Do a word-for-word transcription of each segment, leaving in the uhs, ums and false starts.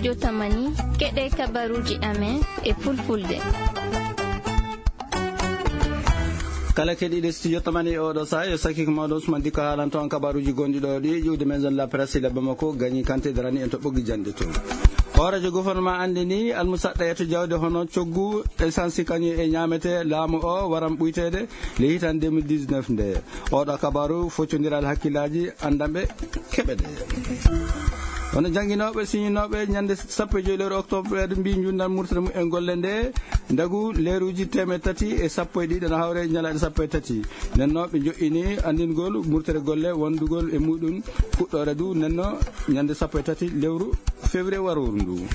Yo tamani, keɗe kabaruuji amen e fulfulde. Kala keɗiiɗe studio tamani e oɗo saha, yo sakiko mawɗo Usman Dikko haalanto on kabaruuji gonɗi ɗo ɗi ƴiwde maison de la presse e lebbo makko gañi kante darani en to ɓoggi janɗe to. Hooreejo gouvernement anndini almusaɗɗa e to jawdi hono coggu essence kañum e ñaamete laamu o waran ɓuyteede le hitan deux mille dix-neuf nde. Oɗo kabaru foccondiral hakkillaaji anndanɓe keɓe ɗe. Hono jannginooɓe, siñinooɓe ñannde sappo e joy lewru octobre ɓeeɗo mbi njundan murtere mum en golle nde ndagu leeruuji teemeɗe tati e sappo e ɗiɗi na hawre ñalaaɗe sappo e tati. Nden no ɓe joƴƴini anndingol murtere golle wondugol e muɗum fuɗɗoore du nden no ñannde sappo e tati lewru février waroru ndu.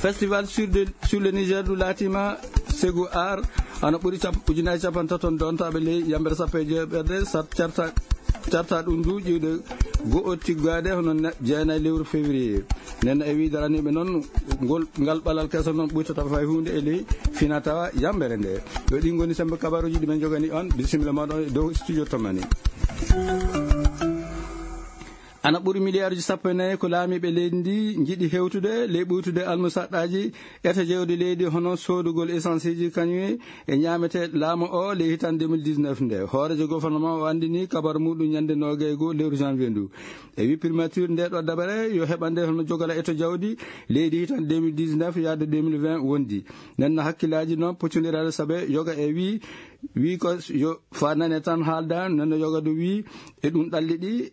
Festival sur, de, sur le Niger du laatima segu ar ana ɓuri cap-, ujunaaji capantato dontaɓe ley yambere sappo e jeeɓerde sat carta carta ɗum du ƴiwde go'o tiggaade hono ne-, jeenayi lewru février. Nden e wi daraniɓe noon ngol, ngal ɓalal keso noon ɓuytata fay huunde e ley fina tawa yambere nde. Ɗo ɗi ngoni sembe kabaruuji ɗi men jogani on. Bisimilla moɗon e dow studio tamani. Ana ɓuri miliyaaruji sappo e nayi ko laamiiɓe leydi ndi njiɗi hewtude ley ɓuytude almusaɗɗaaji eto jewdi leydi hono soodugol esanseeji kañum e ñaamete laamu o ley hitan deux mille dix-neuf nde. Hooreejo gouvernement o anndini kabar muɗum ñande noogay goo lewru janvier ndu. E wi primature nde ɗo dabare yo heɓande hono jogala eto jawdi leydi hitan deux mille dix-neuf yaade deux mille vingt wondi. Nden no hakkillaaji noon pocondirade saabe yoga e wi, wi ko yo fa nane tan haalda, nden no yoga du wi e ɗum ɗalli ɗi,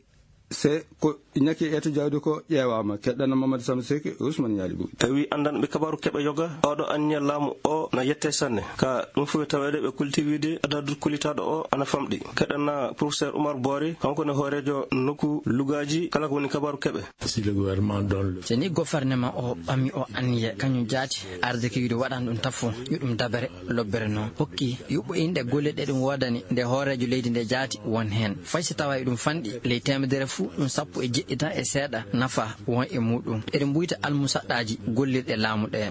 se ko ñaki eto jawdi ko ƴeewaama. Keɗɗana Mamadou Samb Seck, Ousmane Ñaali Buy. Tawi anndanɓe kabaru keɓe yoga, oɗo anniya laamu o na yette sanne. Ka ɗum fof e taweede ɓe kulti wiide adadu kulitaaɗo o ana famɗi. Keɗɗana professeur Oumar Boori, kanko ne hooreejo nokku lugaaji kala ko woni kabaru keɓe. Si le gouvernement donne le So ni gouvernement o ɓami o anniya, kañum jaati arde ko wiide waɗan ɗum tafo, yo ɗum dabere, lobbere noon. Hokki yuɓɓo inɗe golle ɗe ɗum woodani nde hooreejo leydi nde jaati won heen. Fay so tawa e ɗum fanɗi, ley teemedere fuu, ɗum sappo e jeɗɗi tan e seeɗa nafa won e muɗum. Eɗen mbuyta almusaɗɗaaji gollirɗe laamu ɗe.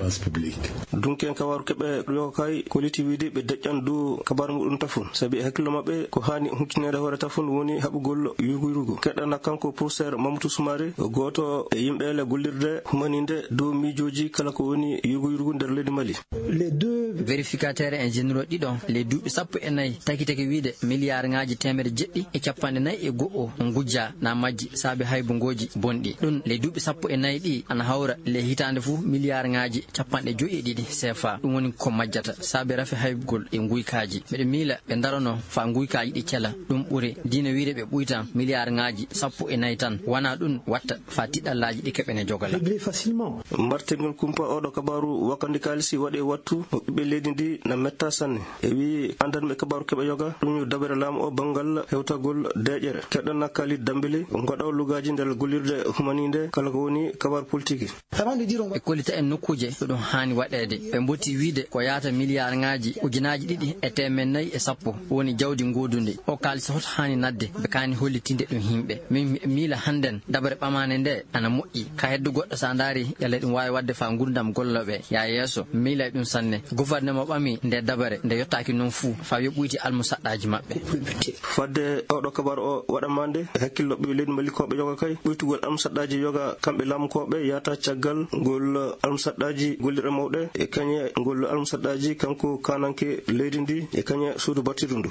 Dunken kawaru keɓe yoga kay, koliti wiide ɓe deƴƴan dow kabaru muɗum tafun. Sabi e hakkillo maɓɓe, ko haani huccunede hoore tafun woni haɓugol yurgu yurgu. Keɗɗana kanko professeur Mamadou Soumaré, o gooto e yimɓe ele gollirde humaninde dow miijooji kala ko woni yurgu yurgu nder leydi Mali. Les deux vérificateurs en généraux ɗiɗo, les duuɓi sappo e nayi, takitake wiide miliyaar ŋaaji teemedde jeɗɗi e capanɗe nayi e go'o ngujja na majji saabe haybungooji bonɗi. Ɗum, les duuɓi sappo e nayi ɗi ana hawra les hitaande fof miliyaar ŋaaji capanɗe joyi e ɗiɗi C F A. Ɗum woni ko majjata saabe rafi haybugol e nguykaaji. Mbeɗa miila ɓe ndarono faa nguykaaji ɗi cela. Ɗum ɓuri diina wiide ɓe ɓuytan miliyaar ŋaaji sappo e nayi tan. Wona ɗum watta faa tiɗɗallaaji ɗi keɓene jogala. Régler facilement. Mbartingol kumpa oɗo kabaru wakkande kaalisi waɗi e wattu mo ɓiɓɓe leydi ndi na metta sanne. E wi andanɓe kabaru keɓe yoga, ɗum yo dabere laamu o banngal hewtagol deƴƴere. Keɗɗana Khalid Dambili, ngoɗo lugaaji nder gollirde humaninde kala ko woni kabaru politiki. E kollita en nokkuuje ɗo ɗum haani waɗeede. Ɓe mboti wiide ko yaata miliyaar ŋaaji ujunaaji ɗiɗi e teemeɗɗe nayi e sappo woni jawdi goodundi. O kaalisi hoto haani nadde, ɓe kaani hollitinde ɗum yimɓe. Min mi-, miila hannden dabare ɓamaande nde ana moƴƴi. Ka heddo goɗɗo sa ndaari, yalla ɗum waawi waɗde faa ngurdam gollooɓe yaa yeeso. Miila e ɗum sanne. Gouvernement ɓami nde dabare, nde yottaaki noon fuu, faa yo ɓuyti almusaɗɗaaji maɓɓe. Fadde oɗo kabar o waɗamaande e hakkillo ɓe leydi Malikooɓe yoga kay, ɓuytugol almusaɗɗaaji yoga kamɓe laamukooɓe yaata caggal ngol almusaɗɗaaji gollirɗe mawɗe e kañe ngol almusaɗɗaaji kanko kananke leydi ndi e kañe suudu battidu ndu.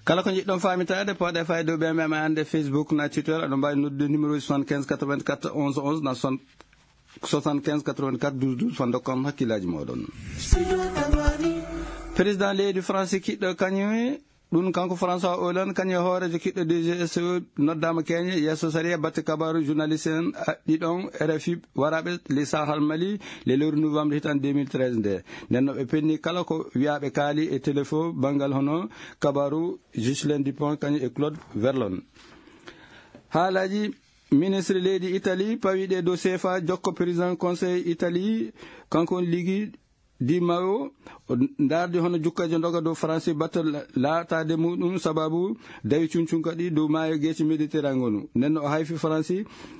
Kala ko njiɗɗon faamitaade, pooɗe fayde o ɓe mema annde Facebook na Twitter, aɗo mbaawi noddude numéro soixante-quinze quatre-vingt-quatre onze onze na soixante-quinze quatre-vingt-quatre douze douze, faa ndokkon hakkillaaji mooɗon. Président leydi France kiɗɗo kañum, ɗum kanko François Hollande, kañum e hooreejo kiɗɗo D G S O noddaama keeñe yeeso sariya batte kabaaru journaliste en, a, ɗiɗon R F I waraaɓe ley Sahel Mali, le lewru novembre hitan deux mille treize nde. Nden no ɓe penni kala ko wiyaaɓe kaali e téléfo banngal hono kabaaru Ghislain Dupont kañum e Claude Verlon. Haalaaji ministre leydi Italie pawiiɗe dow C F A jokko président conseil Italie, kanko on ligi Di Maio, o ndaardi hono jukkajo ndoga dow France batte la-, laataade muɗum sababu dawi cuncunka ɗi dow maayo geeci Méditerranée ngonu. Nden no o hayfi France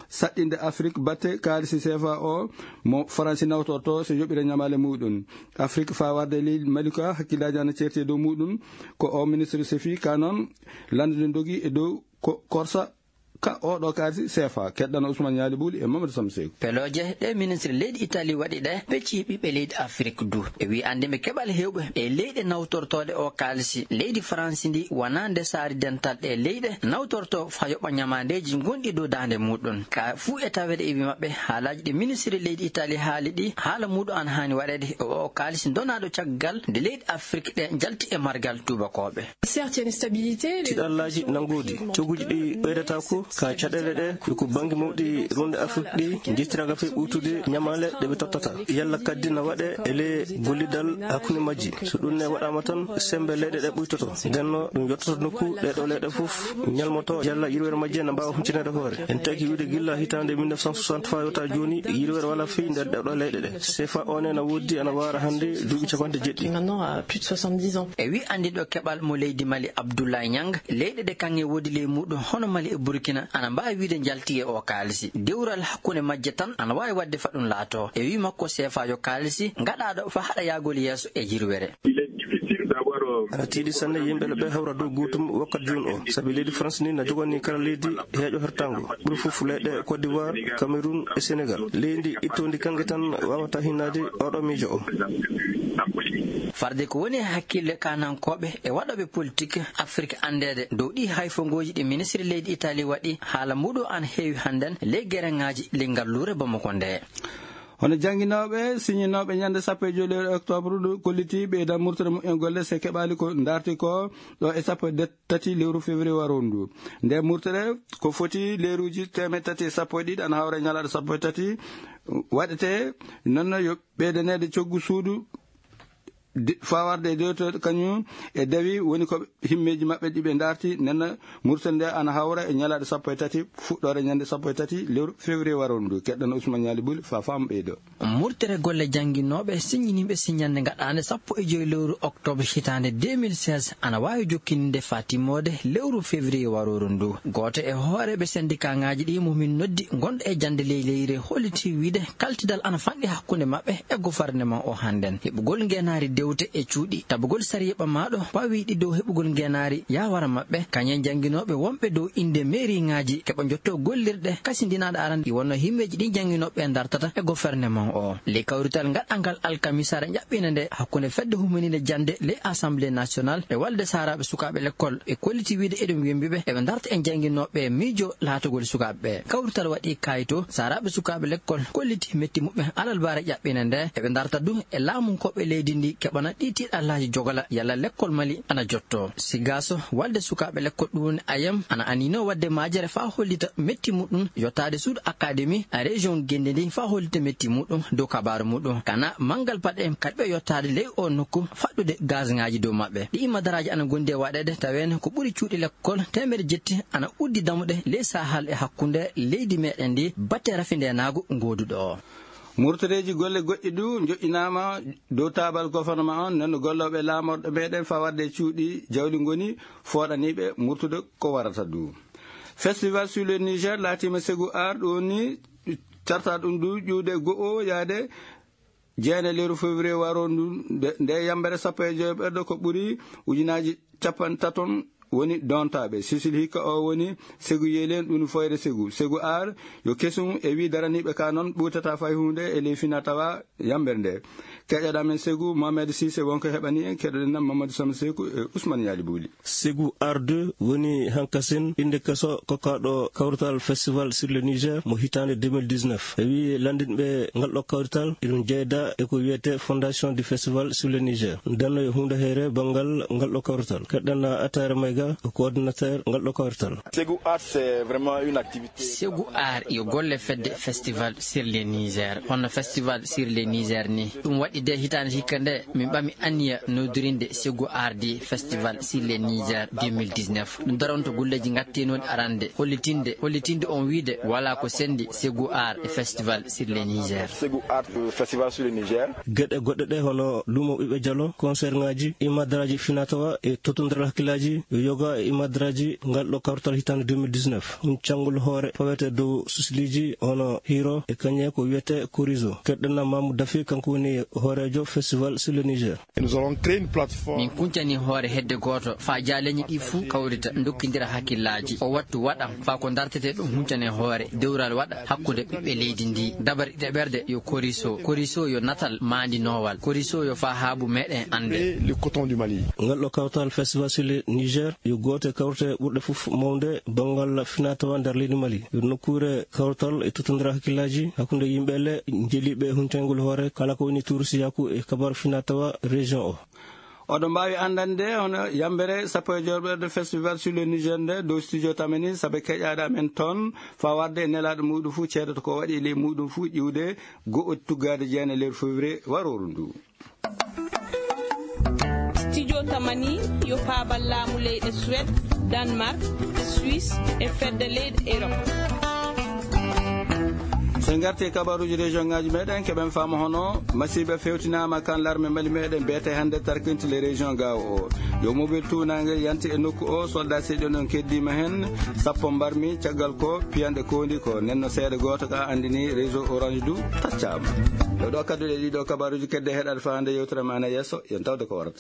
saɗɗinde Afrique batte kaalisi C F A o mo France nawtorto so yoɓira ñamaale muɗum. Afrique faa warde leydi Malika hakkillaaji ana ceerti e dow muɗum. Ko o ministre sefi ka noon landude ndogi e dow ko korsa ka oɗo kaalisi sefa. Keɗɗano Ousmane Ñaali Buuli e Mamadou Samseyku. Pelooje ɗe ministre leydi Itali waɗi ɗe, peccii ɓiɓɓe leydi Afrik du. E wi anndinɓe keɓal heewɓe e leyɗe nawtortooɗe o kaalisi, leydi Faransi ndi wonaa nde saari dental ɗe leyɗe nawtorto fa yoɓa ñamaandeeji gonɗi dow daande muɗum. Ka fuu e taweede e wi maɓɓe, haalaaji ɗi ministre leydi Itali haali ɗi, haala muɗum ana haani waɗeede e o kaalisi donaaɗo caggal nde leyɗe Afrik ɗe njalti e margal tuubakooɓe. Certaines stabilités, les Tiɗallaaji nanngooɗi, cogguuji ɗi ɓeydataako ka caɗeele ɗe, ko bannge mawɗi ronde Afrik ɗi njettiraagal fee ɓuytude ñamaale ɗe ɓe tottata. Yalla kadi na waɗe e le gollidal hakkunde majji. So ɗum ne waɗaama tan, semmbe leyɗe ɗe ɓuytoto. Nden no ɗum yottoto nokku ɗe ɗo leyɗe fof ñalmoto yalla yirwere majje na mbaawa huccitaneede hoore. En taki wiide gilla hitaande mille neuf cent soixante faa yota jooni, yirwere walaa fii nder ɗe ɗo leyɗe ɗe. Sefa o ne na woodi ana waara hannde duuɓi capanɗe jeɗɗi. Maintenant, à plus de soixante-dix ans. E wi anndinɗo keɓal mo leydi Mali Abdoulaye Niang, leyɗe ɗe kaŋŋe woodi ley muɗum hono Mali e Burkina ana mbaawi wiide njalti e o kaalisi. Dewral hakkunde majje tan ana waawi waɗde fa ɗum laato. E wi makko sefa yo kaalisi ngaɗaaɗo fa haɗa yaagol yeeso e yirwere. Il est difficile d'avoir, euh, Ana tiiɗi sanne yimɓe ɓe hawra dow gootum wakkati jooni o, sabi leydi France ni na joganii kala leydi heeƴo hertaango, ɓuri fof leyɗe Côte d'Ivoire, Cameroun e Sénégal. Leydi ittoondi kaŋŋe tan waawata hinnaade oɗo miijo o. Farde ko woni e hakkille kaanankooɓe e waɗooɓe politik Afrik anndeede dow ɗi hayfongooji ɗi ministre leydi Itali waɗi, haala muɗum ana heewi hannden ley gereŋaaji ley ngalluure Bamako nde. Hono jannginooɓe, siñinooɓe ñande sappo e joy lewru octobre ndu, kolliti ɓeydan murtere mumen golle, so keɓaali ko ndaarti ko ɗo e sappo e tati lewru février waroru ndu. Nde murtere ko foti leeruuji teemeɗɗe tati e sappo e ɗiɗi, ana hawra e ñalaaɗe sappo e tati, waɗete noon yo ɓeydaneede coggu suudu di-, fawarde e dewte kañum e dawi woni ko himmeeji maɓɓe ɗi ɓe ndaarti. Nena murtere nde ana hawra e ñalaaɗe sappo e tati, fuɗɗoore ñande sappo e tati lewru février waroru ndu. Keɗɗano Ousmane Ñaali Buli fa faam ɓeydo. Murtere golle jannginooɓe siññiniiɓe siññannde ngaɗaande sappo e joy lewru octobre hitaande deux mille seize ana waawi jokkininde faa timmoode lewru février waroru ndu. Gooto e hooreeɓe sendikaaŋaaji ɗi mo min noddi gonɗo e jannde ley leyre holliti wiide kaltidal ana fanɗi hakkunde maɓɓe e gofarneman o hannden. Heɓugol ngeenaari dewte e cuuɗi, tabugol sariya ɓamaaɗo pawiiɗi dow heɓugol ngeenaari yaawara maɓɓe, kañum e jannginooɓe wonɓe dow innde meeriŋaaji keɓa njottoo gollirɗe kasindinaaɗe arande ɗi wonnoo himmeeji ɗi jannginooɓe ndartata e gofarneman o. Ley kawrital ngaɗangal alkamisaare ɓɓina nde hakkunde fedde humaniinde jannde ley Assemblée nationale e walde saaraaɓe sukaaɓe lekkol e kolliti wiide eɗum wembi ɓe eɓe ndarta e jannginooɓe miijo laatugol sukaaɓe ɓe. Kawrital waɗi kayito saaraaɓe sukaaɓe lekkol kolliti metti muɓɓe alalbaare ƴaɓɓina nde eɓe ndarta du e laamunkooɓe leydi ndi keɓana ɗi tiiɗallaaji jogola yalla lekkol Mali ana jotto. Sigaaso walde sukaaɓe lekkol ɗum woni ayam ana anino waɗde maajere faa hollita metti muɗum yottaade suudu akademi a région Gende ndi faa hollita metti muɗum dow kabaaru muɗum kana manngal paɗe kaɗɓe yottaade ley o nokku faɗɗude gazŋaaji dow maɓɓe. Ɗi madaraaji ana gondi e waɗeede taweene ko ɓuri cuuɗi lekkol teemere jetti ana uddi damuɗe ley sahal e hakkunde leydi meɗen ndi batte rafindeenaagu ngooduɗo o. Murtoreeji golle goɗɗi du joƴƴinaama dow taabal gofornoma on, nden gollooɓe laamorɗo meɗen fawade cuuɗi jawdi ngoni fooɗaniiɓe murtude ko warata du. Festival sur le Niger laatiima segu ar ɗum woni carta ɗum du ƴuude go'o yaade jeene lewru février waro ndu. Nde yambere sappo e joyo ɓerɗo ko ɓuri ujunaaji capanɗe taton woni dontaaɓe. Sisil hikka o woni segu yeelen ɗum foyre segu segu ar yo kesum e wi daraniiɓe ka noon ɓurtata fay hunde e ley fina tawa yambere nde. Keƴaɗa men segu Mohamed Sise wonko heɓani en keɗoɗen nam Mamadou Sama Seku e Ousmane Yali Bouli. Segu ar deux woni hankasin innde keso kokkaaɗo kawrital Festival sur le Niger mo hitaande deux mille dix-neuf. E wi lanndinɓe ngal ɗo kawrital, iɗum jeyda e ko wiyete Fondation du Festival sur le Niger. Ndenno e huunde heere banngal ngal ɗo kawrital. Keɗɗen Atayra Mayga, ko coordinateur ngal ɗo kawrital. Segu Art, c'est vraiment une activité. Segu Art yo golle fedde Festival sur le Niger. Hono Festival sur le Niger ni. Ɗum waɗi de hitaande hikka nde, min ɓami anniya noddirinde Segu Ardi Festival sur le Niger deux mille dix-neuf. Ɗum daronto golleeji ngatteenoɗi arande, hollitinde, hollitinde on wiide, wala ko sendi Segu Art e Festival sur le Niger. Segu Art, euh, Festival sur le Niger. Geɗe goɗɗe ɗe hono lumo ɓiɓɓe jalo, concert ŋaaji, imadaraaji finatawa e tottondiral hakkillaaji, yo Ga e imadraji ngal ɗo kawtal hitande deux mille dix-neuf, huncangol hoore fawete dow sosliiji hono hiro e kañe ko wiyete korizo. Keɗɗana mamu dafi, kanko woni hoorejo festival sur le niger. Nous allons créer une plateforme. Min kuncani hoore hedde gooto faa jaaleñi ɗi fuu kawrita, ndokkindira hakkillaaji. O wattu waɗam faa ko dartete ɗum huncane hoore, dewral waɗa hakkunde ɓiɓɓe leydi ndi. Dabar ɗiɗaɓerde yo koriso, koriso yo natal maandinoowal, koriso yo faa haabu meɗen annde. Et le coton du Mali. Ngal ɗo kawtal festival sur le niger yo gooto e kawrte ɓurɗe fof mawnde banngal finatawa nder leydi mali. Yo nokkuure kawtal e tottondira hakkillaaji hakkunde yimɓe le jeliiɓe e huncangol hoore kala ko woni turusiyaku e kabar finatawa région o. Oɗon mbaawi anndande hono yambere sappo e joorɓerde festival sur le niger nde dow studio tamani sabe keƴaaɗo amen toon, faa warde e nelaaɗo muɗum fuu ceedoto ko waɗi e ley muɗum fuu ƴiwde go'o tuggaade jeene lewru février warooru ndu. Studio tamani yo paabal laamu leyɗe Suède, Danemark, Suisse e fedde leyɗe Europe. So en ngarti e kabaruuji région ngaji meɗen, keɓen faama hono masiiɓe fewtinaama kan larme mali meɗen beete hannde tarkinti le région gawo o. Yo mobile tuunange yanti e nokku o, soldat seeɗi on keddima hen, sappo mbarmi, caggal ko piyanɗe kondi ko nenno seeɗa gooto ka anndini réseau orange du taccama. Ɗo ɗo kadduɗe ɗiɗo kabaruuji kedde heɗaɗe faa hannde yewtere ma na yeeso, yen tawde ko warata.